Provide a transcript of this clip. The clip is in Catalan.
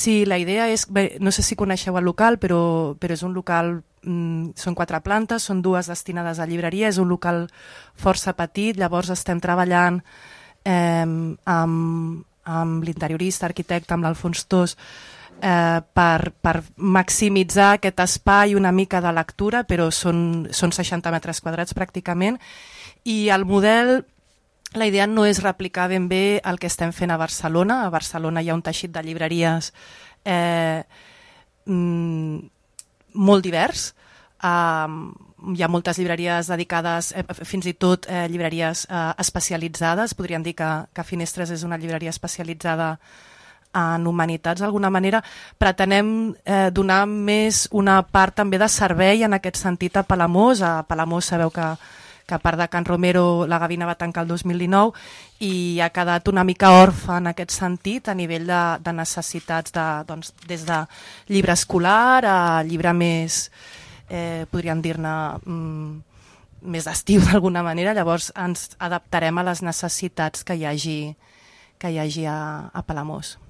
Sí, la idea és, bé, no sé si coneixeu el local, però és un local, són 4 plantes, són 2 destinades a llibreria, és un local força petit, llavors estem treballant amb l'interiorista, arquitecte, amb l'Alfons Tos, per maximitzar aquest espai una mica de lectura, però són 60 metres quadrats pràcticament, i el model, la idea no és replicar ben bé el que estem fent a Barcelona. A Barcelona hi ha un teixit de llibreries molt divers. Hi ha moltes llibreries dedicades, fins i tot llibreries especialitzades. Podríem dir que Finestres és una llibreria especialitzada en humanitats d'alguna manera. Pretenem donar més una part també de servei en aquest sentit a Palamós. A Palamós sabeu que a part de Can Romero la Gavina va tancar el 2019 i ha quedat una mica orfe en aquest sentit a nivell de necessitats des de llibre escolar a llibre més, podríem dir-ne, més d'estiu d'alguna manera. Llavors ens adaptarem a les necessitats que hi hagi a Palamós.